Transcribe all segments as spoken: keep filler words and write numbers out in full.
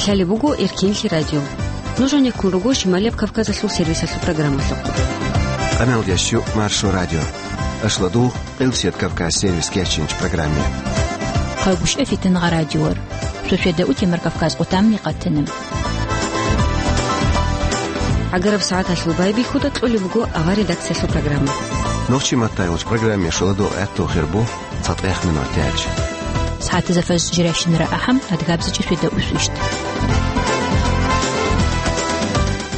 Лъалеб буго Эркенлъи радио. Нуж гьанеккун руго Шималияб Кавказалъул сервисалъул программалъухъ. Къаналдящу Маршо радио. Ашладул Къилсият Кавказ сервис кечинч программе. Хъалбушев Фитнагъа радиор. Суседа утемар Кавказ къутамни къатина. ГӀагараб сагӀаталъул байбихьуда кьолеб буго авар редакциялъул программа. Нохчи маттайолч программе шоладо гӀатту хирбу цатӀех минут тяч. СагӀатазда фаз жиращинара ахӀам адгабзичӀи суседа усвищт.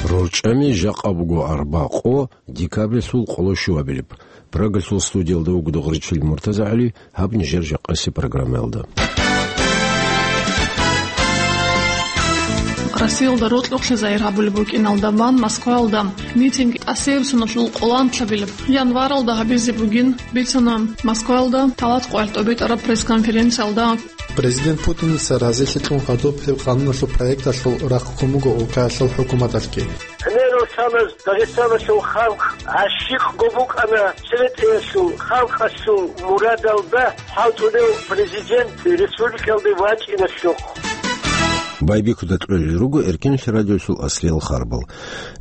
РорчӀами жакъа буго арба къо декабрилъул къоло щуабилеб. Прагалъул студиялда вуго Дугъричил МуртазагӀали, гьаб нижер жакъаси программаялда. Россиялда рокьукълъи загьир гьабулеб букӀиналда бан Москваялда митинг тӀасияб соналъул къоланлъабилеб январалда гьабизе бугин бицана Москваялда талат къоялъ тӀобитӀараб пресс-конференциялда. Президент Путиница разилъи кьун гьадуб гьеб къануналъул проекталъул рахъ ккун буго улкаялъул хӀукуматалъги. Гьанир росанас Дагъистаналъул халкъ гӀащикъго букӀана цеветаялъул халкъалъул мурадалда хӀалтӀулев президент республикалде вачӀиналъухъ. Байбихьуда кьолел руго Эркенлъи радиолъул аслиял харбал.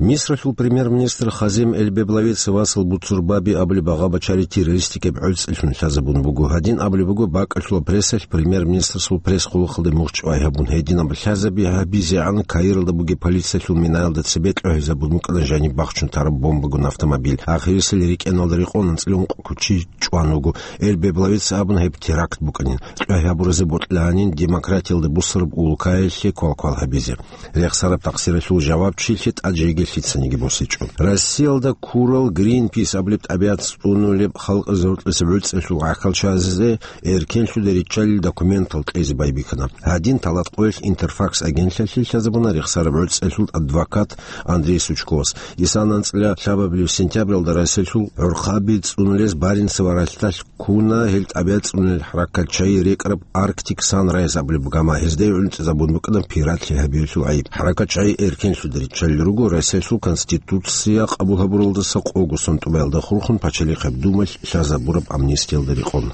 Мисралъул премьер-министр Хазем Эль-Беблавица васал Буцурбаби абулеб агъа бачари террористикаб гӀуцӀилъун лъазабун буго. Гьадин абулеб буго бакӀалъула прессалъ премьер-министрасул пресс-къулухъалде мугъчӀвай гьабун. Гьединаб лъазаби гьабизегӀан Каиралда бугеб полициялъул минаялда цебе кьогьезабун букӀана жаниб бахчун тараб бомбагун автомобиль. Ахирисел рикӀкӀеналда рекъон анцӀила ункъ кучи чӀван вуго. Эль-Беблавица абуна гьеб теракт букӀанин. Кьогьабуразе бокьанин демократиялда бусараб улкаялъе квалквал гьабизе. Рехсараб такъсиралъул жавабчилъи тӀад жеги лъицаниги босичӀо. Россиялда ккурал Гринпис абулеб тӀабигӀат цӀунулеб халкъазе гьоркьоса гӀуцӀелъул гӀахьалчазе эркенлъуда риччалил документал кьезе байбихьана. Гьадин талат къоялъ Интерфакс агентлъалъе лъазабуна рехсараб гӀуцӀелъул адвокат Андрей Сучковас. Исана анцӀила лъабабилеб сентябралда Россиялъул гӀурхъаби цӀунулез Баренцева ралъдалъ ккуна гьел тӀабигӀат цӀунулел хӀаракатчагӀи рекӀараб Arctic Sunrise абулеб гама, гьезда гӀунтӀизабун букӀана пиратлъи гьабиялъул гӀайиб. ХӀаракатчагӀи эркенлъуда риччалел руго Россиялъул Конституция къабул гьабуралдаса къого сон тӀубаялда хурхун Пачалихъаб Думалъ лъазабураб амнистиялда рекъон.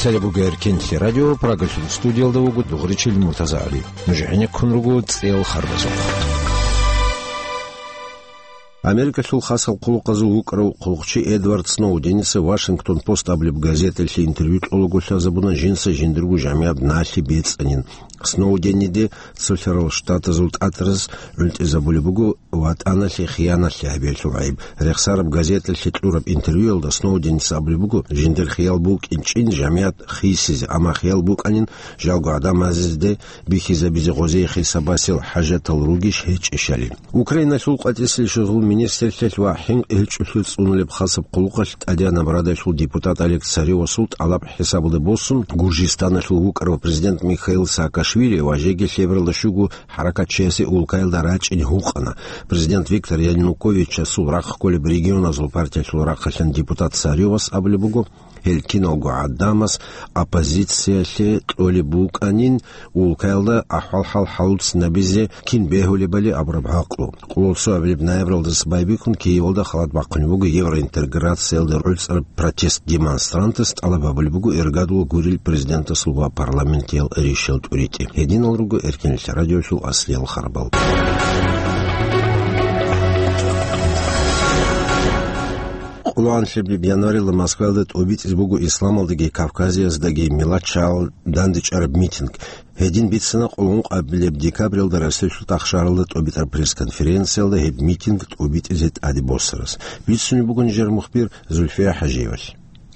Лъалеб буго Эркенлъи радио, Прагалъул студиялда вуго Дугъричил МуртазагӀали. Нуж гӀенеккун руго цӀеял харбазухъ. Америкалъул хасал хъулухъазул вукӀарав хъулухъчи Эдвард Сноуденица Вашингтон Пост абулеб газеталъе интервью кьолаго лъазабуна жинца жиндирго жамигӀаб налъи бецӀанин. Сноудениде цолъарал штатазул тӀатараз гӀунтӀизабулеб буго ватӀаналъе хиянатлъи гьабиялъул гӀайиб. Рехсараб газеталъе кьураб интервьюялда Сноуденица абулеб буго, жиндир хиял букӀинчӀин жамигӀат хисизе, амма хиял букӀанин жалго гӀадамазде бихьизабизе гъозие хисабасел хӀажатал ругищ гьечӀищали. Украиналъул къватӀисел шугьул министрлъиялъ ва хӀинкъи гьечӀолъи цӀунулеб хасаб хъулухъалъ ТӀадегӀанаб Радалъул депутат Олег Царевасул тӀалаб хӀисабалде босун, Гуржистаналъул вукӀарав президент Михаил Саакашвили ва жеги лъебералда щуго хӀаракатчиясе улкаялда рачӀин гьукъана. Президент Виктор Януковичасул рахъ кколеб регионазул партиялъул рахъалъан депутат Царевас абулеб буго, гьел киналго гӀадамаз оппозициялъе кьолеб букӀанин, улкаялда ахӀвал-хӀал хӀалуцинабизе кин бегьулебали абураб гӀакълу. Къоло цо абилеб ноябралдаса байбихьун Киевалда халат бахъунеб буго евроинтеграциялда гӀуцӀараб протест. Демонстрантас тӀалаб гьабулеб буго иргадул гурил президентасул ва парламентиял ришал тӀуритӀи. Гьединал руго Эркенлъи радиолъул аслиял харбал. Къоло анлъабилеб январилда Москваялда тӀубитӀизе буго исламалдаги Кавказияздаги миллатчагӀал дандечӀараб митинг. Гьедин бицана къулгъун къабилеб декабралда Россиялъул тӀахшаралда тӀубитӀараб пресс-конференциялда гьеб митинг тӀубитӀизе тӀаде босарас. Бицунеб буго нижер мухбир Зульфия ХӀажиевалъ.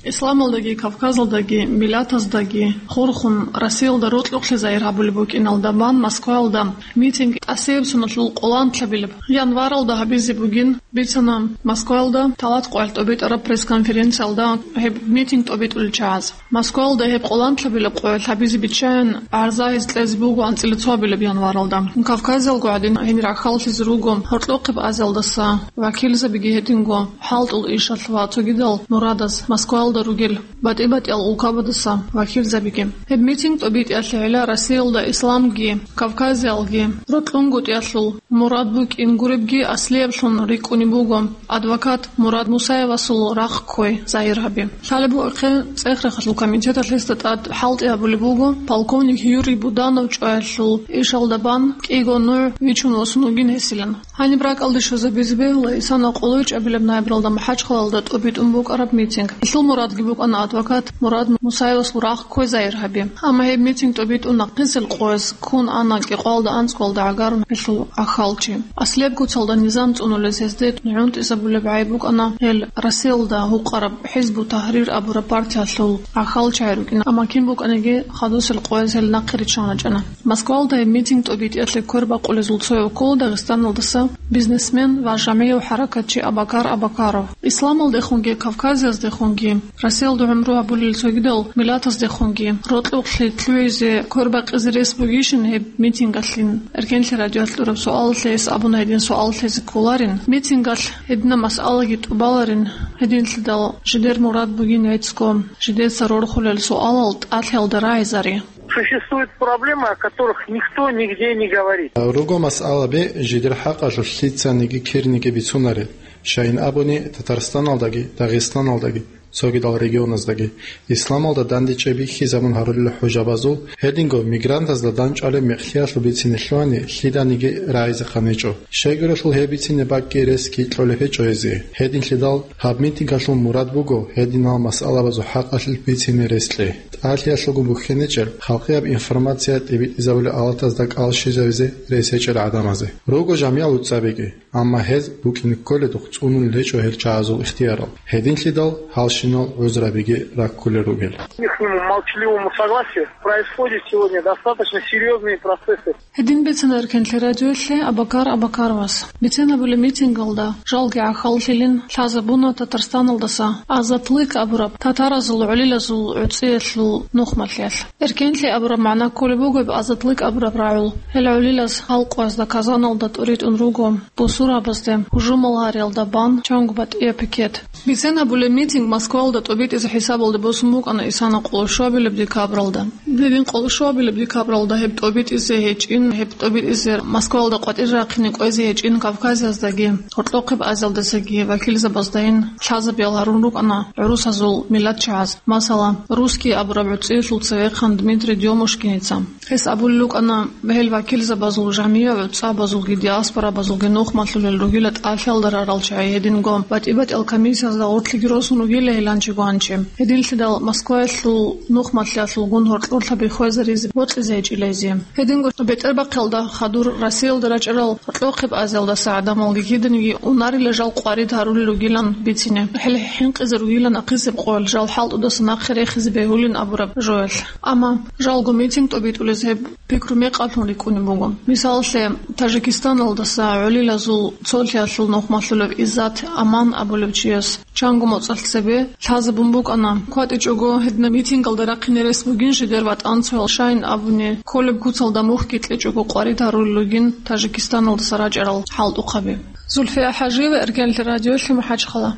Исламалдаги, Кавказалдаги, миллатаздаги хурхун, Россиялда рокьукълъи загьир гьабулеб букӀиналда бан Москваялда митинг тӀасияб соналъул къоланлъабилеб январалда гьабизе бугин бицана Москваялда талат къоялъ тӀубитӀараб пресс-конференциялда гьеб митинг тӀубитӀулел чагӀаз. Москваялда гьеб къоланлъабилеб къоялъ гьабизе биччайин гӀарза гьез кьезе буго анцӀила цоабилеб январалда. Кавказалго гӀадин гьенир рахьаллъизе руго гьоркьохъеб Азиялдаса вакилзабиги гьединго хӀалтӀул ишалъ ва цогидал мурадаз Москваялда ругел батӀи-батӀиял улкабадаса вакилзабиги. Гьеб митинг тӀубитӀиялъе гӀела Россиялда исламги, Кавказиялги рокьунгутӀиялъул Мурад букӀин гуребги аслияблъун рикӀкӀунеб буго адвокат Мурад Мусаевасул рахъ кквей загьир гьаби. Лъалеб бугеб, цӀех-рахъалъул комитеталъ гьесда тӀад хӀалтӀи гьабулеб буго, полковник Юрий Буданов чӀваялъул ишалда бан кӀиго нугӀ вичун восун вугин гьесилан. Гьаниб ракӀалде щвезабизе бегьула, исана къоло чӀебилеб ноябралда МахӀачхъалалда тӀобитӀун букӀараб митинг. Гьелъул мурадги букӀана адвокат Мурад Мусаевасул рахъ кквей загьир гьаби. Амма гьеб митинг тӀобитӀун нахъисел къояз ккун ана кӀикъвалда анцӀкӀвалда гӀагарун гьелъул гӀахьалчи. Аслияб куцалда низам цӀунулез гьезде гӀунтӀизабулеб гӀайиб букӀана гьел Россиялда гьукъараб ХӀизбу-Тагьрир абураб партиялъул гӀахьалчагӀи рукӀин, амма кин букӀаниги хадусел къояз гьел нахъе риччан рачӀана. Москвалда гьеб митинг тӀобитӀиялъе квербакъулезул цояв ккола Дагъистаналдаса бизнесмен ва жагьмияв хӀаракатчи Абакар Абакаров. Исламалдехунги Кавказаздехунги, Россиялда гӀумру гьабулел цогидал миллатаздехунги рокьукълъи лъугӀизе квербакъизе рес бугищин гьеб митингалъин? Эркенлъи радиоялъ кьураб суалалъе гьес абуна гьедин суал лъезе кколарин. Митингалъ гьединаб масъалаги тӀубаларин, гьединлъидал жидер мурад бугин гӀицӀго, жидеца рорхулел суалал тӀалъиялда рагӀизари. Существуют проблемы, о которых никто нигде не говорит. Руго масъалаби, жидер хӀакъалъулъ лъицаниги кириниги бицунарел, щайин абуни Татарстаналдаги, Дагъистаналдаги, цогидал регионаздаги. Исламалда дандечӀеб бихьизабун гьарулел хӀужабазул, гьединго мигрантазда дандчӀвалеб мекълъиялъул бицине лъугьани, лъиданиги рагӀизехъан гьечӀо. Щайгурелъул гьеб бицине бакӀги рес кколеб гьечӀо гьезие. Гьединлъидал гьаб митингалъул мурад буго гьединал масъалабазул хӀакъалъулъ бицине рес кьей. ТӀалъиялъулгун бухьиничӀел, халкъияб информация тӀибитӀизабулел алатазда кӀал щвезавизе рес гьечӀел гӀадамазе. Руго жамигӀал уцабиги, амма гьез букӀине кколедухъ цӀунулел гьечӀо гьел чагӀазул ихтиярал. Гьединлъидал гьалщинал гӀузрабиги раккулел ругел. Ихнему молчаливому согласию происходят сегодня достаточно серьёзные процессы. Гьедин бицана Эркенлъи радиоялъе Абакар Абакаровас. Бицен гьабулеб митингалда жалги гӀахьаллъилин лъазабуна Татарстаналдаса «Азатлык» абураб татаразул гӀолилазул гӀуцӀиялъул нухмалъиялъ. Эркенлъи абураб магӀна кколеб буго гьеб «Азатлык» абураб рагӀул. Гьел гӀолилаз гьал къоязда Казаналда тӀуритӀун руго бусурбабазде гьужумал гьариялда бан чанго батӀияб пикет. Бицен гьабулеб митинг Москвалда тӀобитӀизе хӀисабалде босун букӀана исана къоло щуабилеб декабралда. Гьедин къоло щуабилеб декабралда гьеб тӀобитӀизе гьечӀин, гьеб тӀобитӀизе Москвалда къватӀир рахъине кӀвезе гьечӀин Кавказаздаги, Гьоркьохъеб Азиялдасаги вакилзабаздайин лъазабиял гьарун рукӀана гӀурусазул миллатчагӀаз. Масала, Русский абураб гӀуцӀиялъул цевехъан Дмитрий Дёмушкиница. Гьес абулел рукӀана, гьел вакилзабазул жамигӀ гӀуцӀабазулги диаспорабазулги нухмалъулел ругила тӀалъиялда рарал чагӀи, гьединго батӀи-батӀиял комиссиязда гъорлъиги росун ругила гьеланчи гуанчи. Гьединлъидал Москваялъул нухмалъиялъулгун гьоркьорлъаби хвезаризе бокьизе гьечӀила гьезие. Гьединго бетӀербахъиялда хадур Россиялда рачӀарал Гьоркьохъеб Азиялдаса гӀадамалги киданиги унарила жал къварид гьарулел ругилан бицине. ХӀел хӀинкъизе ругилан ахъисеб къоялъ жал хӀалтӀудаса нахъе рехизе бегьулин абураб жоялъ. Амма жалго митинг тӀобитӀулез гьеб пикру мекъалъун рикӀкӀунеб буго. Мисалалъе, Тажикистаналдаса гӀолилазул цолъиялъул нухмалъулев Иззат Аман абулев чияс чанго моцӀалъ цебе лъазабун букӀана. КватӀичӀого гьединаб митингалда рахъине рес бугин жидер ватӀанцоял, щайин абуни, кколеб куцалда мухьги кьечӀого къварид гьарулел ругин Тажикистаналдаса рачӀарал хӀалтӀухъаби. Зульфия ХӀажиева, Эркенлъи радиоялъе, МахӀачхъала.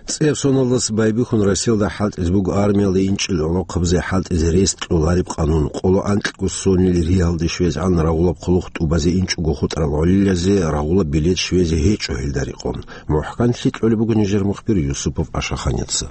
ЦӀияб соналдаса байбихьун Россиялда хӀалтӀизе буго армиялда инчӀел гӀолохъабазе хӀалтӀизе рес кьолареб къанун. Къоло анкьго сонил риалде щвезегӀан рагъулаб хъулухъ тӀубазе инчӀого хутӀарал гӀолилазе рагъулаб билет щвезе гьечӀо гьелда рекъон. МухӀканлъи кьолеб буго нижер мухбир Юсупов Ашаханица.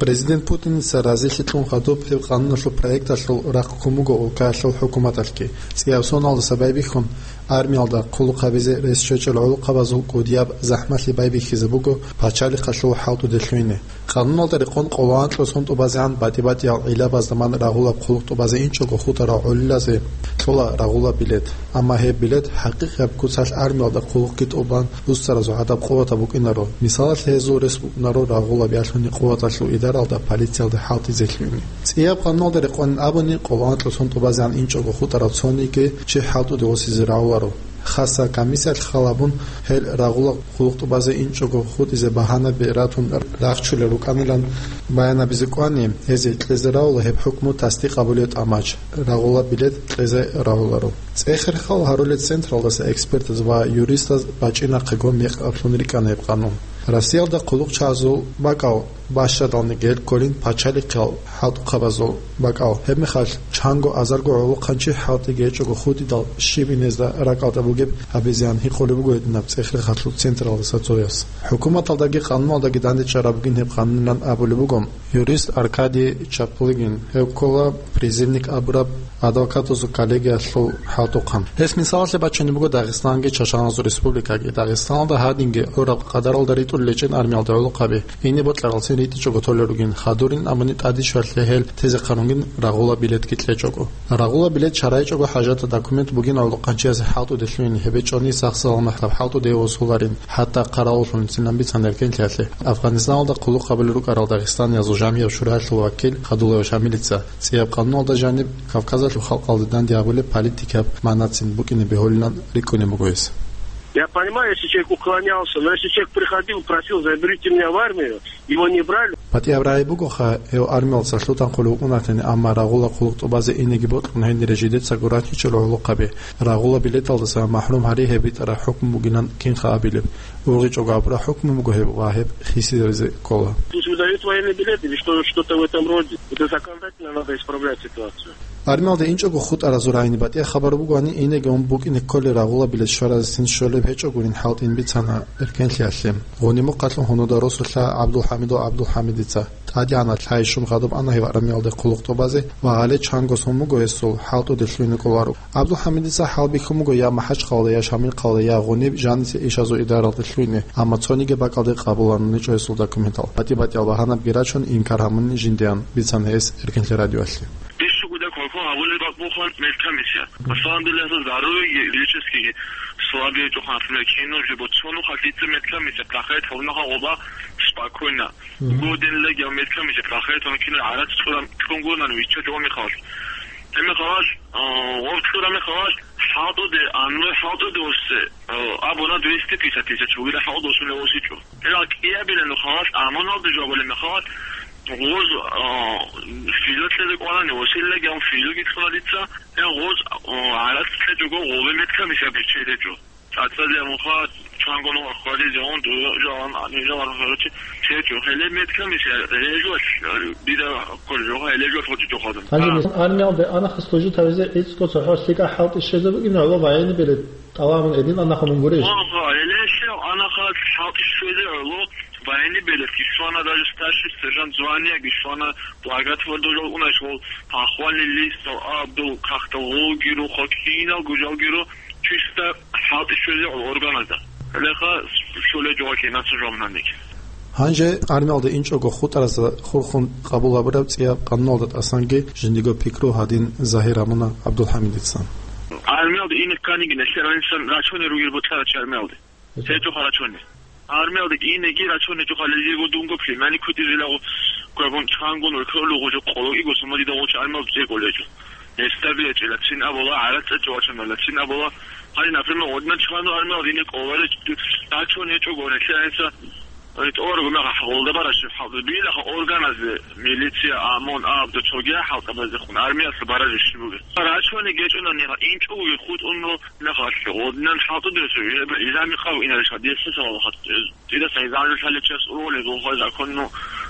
Президент Путиница разилъи кьун хадуб гьеб къануналъул проекталъул рахъ ккун буго улкаялъул хӀукуматалъги. ЦӀияб соналдаса байбихьун армиялда хъулухъ гьабизе рес щвечӀел гӀолохъабазул кӀудияб захӀмалъи байбихьизе буго пачалихъалъул хӀалтӀуде лъугьине. Къануналда рекъон къоло анкьго сон тӀубазегӀан батӀи-батӀиял гӀиллабазда ман рагъулаб хъулухъ тӀубазе инчӀого хутӀарал гӀолилазе кьола рагъулаб билет. Амма гьеб билет хӀакъикъияб куцалъ армиялда хъулухъги тӀубан буссаразул гӀадаб къуватаб букӀинаро. Мисалалъе, гьезул рес букӀунаро рагъулаб ялъуни къуваталъул идаралда полициялда хӀалтӀизе лъугьине. ЦӀияб къануналда рекъонин абуни, къоло анкьго сон тӀубазегӀан инчӀого хутӀарал цониги чи хӀалтӀуде восизе рагӀуларо. Хасса комиссиялъ хал гьабун, гьел рагъулаб хъулухъ тӀубазе инчӀого хутӀизе багьанаби ратун рахчулел рукӀанилан баянабизе кӀвани, гьезие кьезе рагӀула гьеб хӀукму тасдикъ гьабулеб тӀамач, рагъулаб билет кьезе рагӀуларо. ЦӀехерхал гьарулел централдаса экспертаз ва юристаз бачӀинахъего мекъаблъун рикӀкӀана гьеб къанун. Россиялда хъулухъчагӀазул бакӀал бащадалниги гьел кколин пачалихъал хӀалтӀухъабазул бакӀал. Гьеб мехалъ Чанго азарго гӀолохъанчи хӀалтӀиги гьечӀого хутӀидал щиб инезда ракӀалда бугеб гьабизеян гьикъулеб буго гьединаб цӀех-рехалъул централдаса цояс. ХӀукуматалдаги къануналдаги дандечӀараб бугин гьеб къанунилан абулеб буго юрист Аркадий Чаплыгин, гьев ккола призывник абураб адвокатазул коллегиялъул хӀалтӀухъан. Гьес мисалалъе бачунеб буго Дагъистанги Чачаназул республикаги. Дагъистаналда гьадинги гӀураб къадаралда ритӀулел гьечӀин армиялда гӀолохъаби. Ине бокьаралцин ритӀичӀого толел ругин, хадурин абуни тӀадищвалъе гьел тезе хъарунгин рагъула билетги кьечӀого. Рагъула билет чарайчӀого хӀажатаб документ бугин гӀолохъанчиясе хӀалтӀуде лъугьин, гьеб гьечӀони сах-саламат гьаб хӀалтӀуде восуларин, хӀатта къарауллъунцинан бицана эркенлъиялъе. Афганистаналда хъулухъ гьабулел рукӀарал дагъистаниязул жамигӀ-шуралъул вакил Хадулаев Шамилица цӀияб къануналда жаниб Кавказалъул халкъалде данде гьабулеб политикаб манацин букӀине бегьулилан рикӀкӀунеб буго гьес. Я понимаю, если человек уклонялся, но если человек приходил, просил: «Заберите меня в армию», его не брали. БатӀияб рагӀи бугоха, гьев армиялдаса лъутанхъулев вукӀунатани, амма рагъула хъулухъ тӀубазе инеги бокьун гьенире жидецаго ранчӀичӀел гӀолохъаби, рагъула билеталдаса махӀрум гьари гьеб битӀараб хӀукму бугилан кинха абилеб? УргъичӀого абураб хӀукму буго гьеб ва гьеб хисизе ккола. Пусть выдают военный билет или что, что-то в этом роде. Это законодательно надо исправлять ситуацию. Армиялде инчӀого хутӀаразул рагӀине батӀияб хабар бугони, инеги ун букӀине кколел рагъула билет щваразесин щолеб гьечӀогурин хӀалтӀин бицана эркенлъиялъе. Гъуни-мухъалъун гьунуда росулъа ГӀабдулхӀамидов ГӀабдулхӀамидица. ТӀадегӀанаб лъай щун хадуб ана гьев армиялде хъулухъ тӀубазе ва гьале чанго сон буго гьесул хӀалтӀуде лъугьине кӀоларо. ГӀабдулхӀамидица хӀалбихьун буго я МахӀачхъалаялда, я Шамилхъалаялда, я гъуниб жанисе ишазул идаралде лъугьине, амма цониги бакӀалде къабуланани чӀо гьесул документал. БатӀи-батӀиял багьанабги рачун, инкар гьамуни жиндиян бицана гьес Эркенлъи радиоялъе. Ишшугуда квалквал гьабулеб бакӀ бугоха медкомиссия. Мгм. На самом деле, гьесда здоровье гьечӀесги, слабее чӀухъан, например, кино жибо цо нухалъ дица медкомиссия прохает гьабунаха гъоба спокойно. Мгм. Годен легиял медкомиссия прохает гьабун кино гӀарац цӀуран ккун гурнан вичча жо михалъ. Гьеб мехалъ, а, гъоб цӀура мехалъ, хӀалтӀуде, анлуй хӀалтӀуде осе, а, абуна двести пятьдесят тысяч вугила хӀалтӀу осулев осичӀо. Гьелал кӀиабилан нухалъ амуналда жо абулеб мехалъ, гъоз, а, физа кьезе кӀванани, Василлаги гьав физаги цӀуна дица, гьев гъоз, а, гӀарац кьечӀого гъобе медкомиссия биччей гьечӀо. ЦӀацӀазе амуха чанго нугӀа хвализе гьун, дуе жалан, ани жалан гьаручи, чечӀо. Гьеле медкомиссия, гьеле жо, дида кколе жо, гьеле жо хоче жо хадам. Гьанже А. мисал, армиялде анаха служить гьавизе гӀицӀго цохӀо лъикӀа хӀалтӀи щвезе бугин гӀоло военный билет тӀалабун гьедин анахъун гурищ? Ва, ва, гьеле щев анаха хӀалтӀи щвезе гӀоло военный билет гьищвана, даже старший сержант званиеги щвана, благотворительный жал унаш вол, похвальный листал, абдул, кахтал гъолгиро, хоккейнал гужалгиро, чисто хӀалтӀи щвезе гӀоло органазда. Гьелеха щоле жо вакӀина цо жо мунагьаниг. Гьанже армиялда инчӀого хутӀаразда хурхун къабул гьабураб цӀияб къануналда тӀасанги жиндиго пикру гьадин загьир гьабуна ГӀабдулхӀамидица. Армиялда ине кканиги нилъер гӀинсан рачунел ругел бокьарачи армиялде. ГьечӀо. ГьечӀо харачунел. Армиялде инеги рачунел гьечӀо халилего дунго племянник кутӀизелаго квегун чангун векъолуго жо къологи госумадида гъочи армиялде цӀекӀолечӀо. Нестаби гьечӀила, цин абула, гӀарацӀа чӀвачунала, цин абула. Гьанже, например, одна чхану армиял дине кӀоларич, дачун гьечӀого, гьанже гьанса, гьанже тӀоларого мегъ гъолда бараш хӀалда. Дуилаха органазде, милиция, ОМОН, абда, цоги хӀалтӀабаздехун, армиялъа бараз иши бугеб. Рачуни гьечӀунани, инчӀого хутӀун мегъалъе, однан хӀалтӀудесу, изами къав инариш гьадиса салавахат. Цидаса изарил хӀаличияс ургъулел гъулхъа законну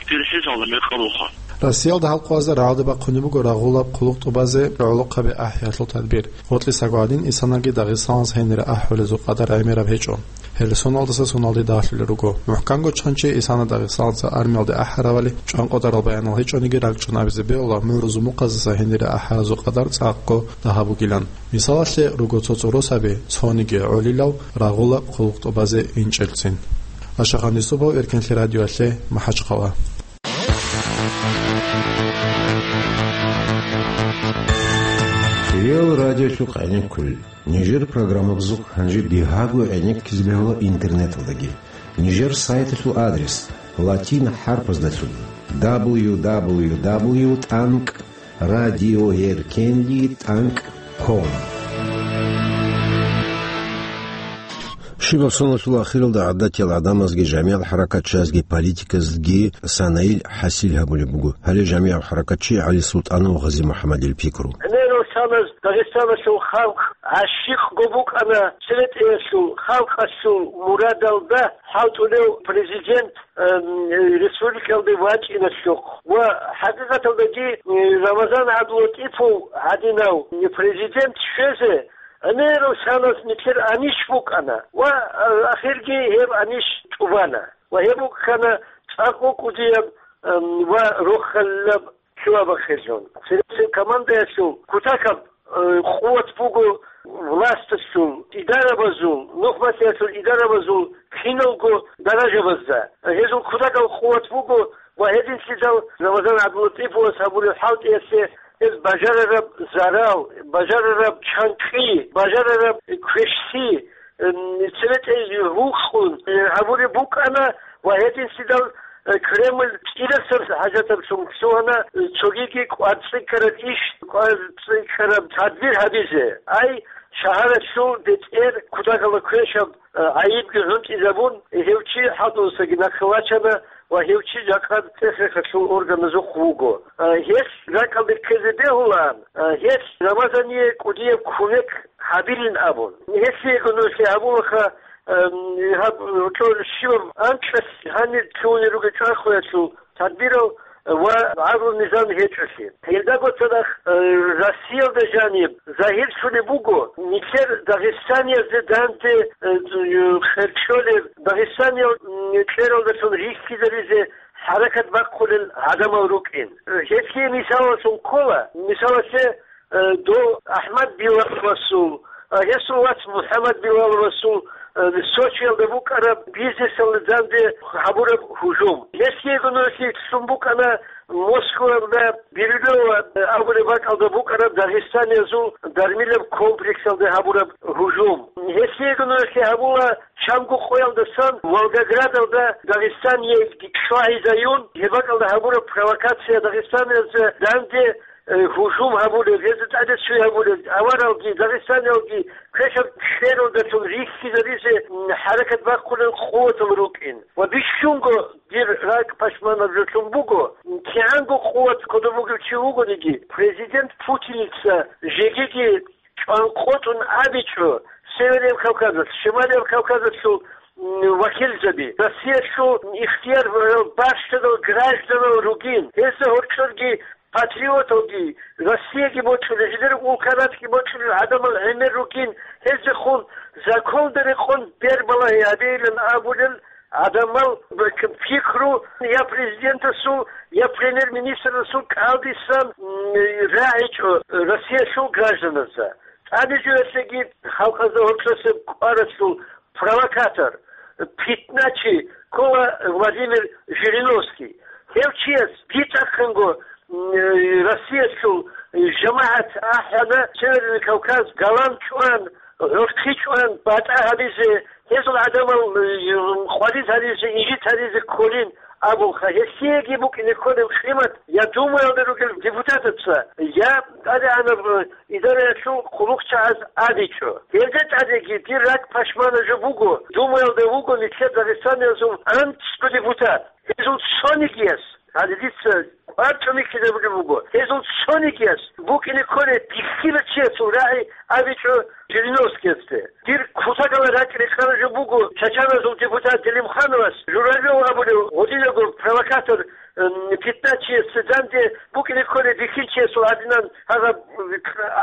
тирхьизалда мекъабулха. Россиялда халкъазда рагӀалде бахъунеб буго рагъулаб хъулухъ тӀубазе гӀолохъаби ахӀиялъул тадбир. Гъоркьисаго гьадин исанаги Дагъистаналъ гьенире ахӀулезул къадар гӀемераб гьечӀо. Гьеле соналдаса соналде дагьлъулел руго. МухӀканго чанчи исана Дагъистаналъа армиялде ахӀаравали чӀванкъотарал баянал гьечӀониги ракӀчӀун абизе бегьула мугӀрузул мухъазаса гьенире ахӀаразул къадар цӀакъго дагьаб бугилан. Мисалалъе, руго цо-цо росаби, цониги гӀолилав рагъула хъулухъ тӀубазе инчӀелцин. Ашахан Юсупов, Эркенлъи радиоялъе, МахӀачхъала. Реал радиолъухъ гӀенеккулел. Нижер программабазухъ гьанже бигьаго гӀенеккизе бегьула интернеталдаги. Нижер сайталъул адрес латин хӀарпаздалъун: дабл ю дабл ю дабл ю тӀанкӀ радиоэркенлъи тӀанкӀ ком. Щибаб соналъул ахиралда гӀадатиял гӀадамазги, жамигӀал хӀаракатчиязги, политиказги санаил хӀасил гьабулеб буго. Гьале жамигӀав хӀаракатчи ГӀали СултӀанов Гъази-МухӀаммадил пикру. Гьеле Дагъистаналъул халкъ гӀащикъго букӀана церетӀеялъул халкъалъул мурадалда хӀалтӀулев президент, эм, республикалде вачӀиналъухъ. Ва хӀакъикъаталдаги, э, Рамазан ГӀабдулатӀипов гьадинав президент щвезе гӀемерал санас нилъер анищ букӀана ва, э, ахирги гьеб анищ тӀубана. Ва гьеб букӀана цӀакъго кӀудияб, эм, ва рохалилаб лъугьа-бахъинлъун. Цересел командаялъул кутакаб, э, къуват буго власталъул, идарабазул, нухматиялъул идарабазул киналго даражабазда. Гьезул кутакаб къуват буго ва гьединлъидал Рамазан ГӀабдулатӀиповас гьабулеб хӀалтӀиялъе гьез бажарараб зарал, бажарараб чанкӀкӀи, бажарараб квешлъи, эм, церетӀей гьукъун, э, гьабулеб букӀана ва гьединлъидал, э, Кремль кӀирасаб хӀажатаблъун лъугьана, э, цогиги кӀварцӀикӀкӀараб иш, кӀварцӀикӀкӀараб тадбир гьабизе. Ай, шагьаралъул бетӀер кутакалда квешаб, э, гӀайибги гӀунтӀизабун, гьев чи хӀалтӀудасаги нахъе вачана ва гьев чи жакъа цӀех-рехалъул органазухъ вуго. Э, гьелъ ракӀалде ккезе бегьулаан, э, гьелъ Рамазание кӀудияб кумек гьабилин абун. Гьелъиего нужеца гьабулаха, эм, гьаб, гьоркьор щибаб анкьалъ гьанир лъугьунел ругел чӀванхъуялъул тадбирал ва гӀадлу-низам гьечӀолъи. Гьелдаго цадахъ, э, Россиялда жаниб загьирлъулеб буго, нилъер дагъистаниязде данде, э, къеркьолеб, Дагъистаниял, м, кьералдалъун рихьизаризе хӀаракат бахъулел гӀадамал рукӀин. Гьелъие мисалалъун ккола, мисалалъе, э, дов АхӀмад Билаловасул, э, гьесул вац МухӀаммад Билаловасул, э, Сочиялда букӀараб бизнесалда данде гьабураб гьужум. Гьелъиего нужеца лъун букӀана Москваялда Бирюлево, э, абулеб бакӀалда букӀараб дагъистаниязул дармилаб комплексалда гьабураб гьужум. Гьелъиего нужеца гьабула чанго къоялдасан Волгоградалда Дагъистаниялги чвагьизаюн, гьеб бакӀалда гьабураб провокация дагъистаниязда данде, э, гьужум гьабулеб, гьезда тӀаде цуй гьабулеб, аваралги, дагъистаниялги квешаб кьералдалъун рихьизаризе, м, хӀаракат бахъулел къуватал рукӀин. Ва бищунго дир ракӀ пашманаб жо лъун буго, кигӀанго къуват кодоб бугев чи вугониги, президент Путиница жегиги чӀванкъотӀун абичӀо Северный Кавказалъ, Шималияб Кавказалъул, м, вакилзаби, Россиялъул ихтияр, э, бащдадал гражданал ругин, гьезда гьоркьорги патриоталги, Россияги бокьулел, гьелер улкаратги бокьулел гӀадамал гӀемер ругин, гьезехун законда рекъон бербалагьи гьабейилан абулел гӀадамал пикру я президентасул, я премьер-министрасул кӀалдисан, м, рагӀичӀо Россиялъул гражданазда. ТӀаде жоялъеги халкъазда гьоркьосеб кӀваралъул провокатор, питначи ккола Владимир Жириновский. Гьев чияс битӀахъанго, м, Россиялъул жамагӀат ахӀана Северный Кавказ галан чӀван, гӀурхъи чӀван, батӀа гьабизе, гьезул гӀадамал, э, къварид гьаризе, инжит гьаризе кколин абулха. Гьелъиеги букӀине кколеб къимат я Думаялда ругел депутатаца, я тӀадегӀанаб, э, идараялъул хъулухъчагӀаз абичӀо. Гьелда тӀадеги дир ракӀ пашмана жо буго, Думаялда вуго нилъер Дагъистаниязул анцӀго депутат. Гьезул цонигияс, гьале дица кӀвар чӀумихьизабулеб буго, гьезул цонигияс букӀине кколеб бихьила чиясул рагӀи абичӀо Жириновскийасде. Дир кутакалда ракӀ-рекъараб жо буго чачаназул депутат Делимхановас, Журавлев абулев гьудинаго провокатор, м, питначиясда данде букӀине кколеб бихьинчиясул гьадинан гьагъаб, м,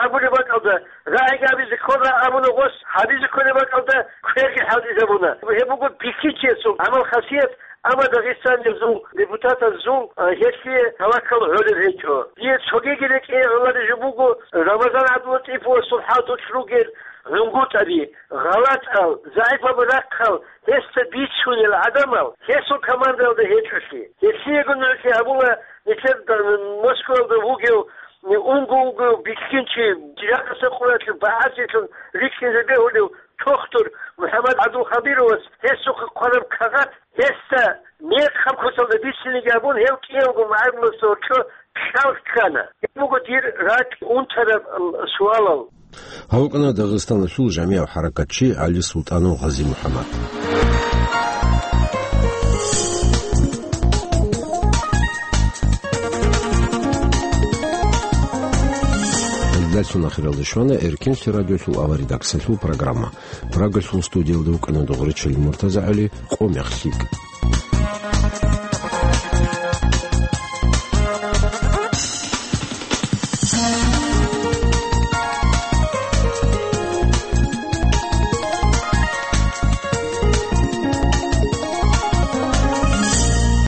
абулеб бакӀалда, рагӀиги абизе ккола абуна гъос, гьабизе кколеб бакӀалда кверги хӀалтӀизабуна. Гьеб буго бихьинчиясул гӀамал-хасият, амма Дагъистаниязул депутатазул, а, гьелъие таваккал гӀолеб гьечӀо. Дие цогиги рекӀее гӀолареб жо буго Рамазан ГӀабдулатӀиповасул хӀалтӀулъ ругел гӀунгутӀаби, гъалатӀал, загӀипаб рахъал, гьесда бицунел гӀадамал гьесул командаялда гьечӀолъи. Гьелъиего нужеца гьабула нилъер Москваялда вугев, унго-унго бихьинчи, жакъасеб къоялъ багӀазелъун рикӀкӀине бегьулев тохтур МухӀаммад ГӀабдулхабировас гьесухъе хъвараб кагъат, гьесда мекъаб куцалда бициниги абун, гьев кӀиявго магӀаруласда гьоркьо кьал ккана. Гьеб буго дир ракӀ унтараб суалал. Гьав вукӀана Дагъистаналъул жамигӀав хӀаракатчи ГӀали Султанов Гъази-МухӀаммад. Ахиралде щвана Эркинлъи радиолъул аваридаксалъул программа. Прагалъул студиялда вукӀана Дугъричил МуртазагӀали. Къо мех лъикӀ.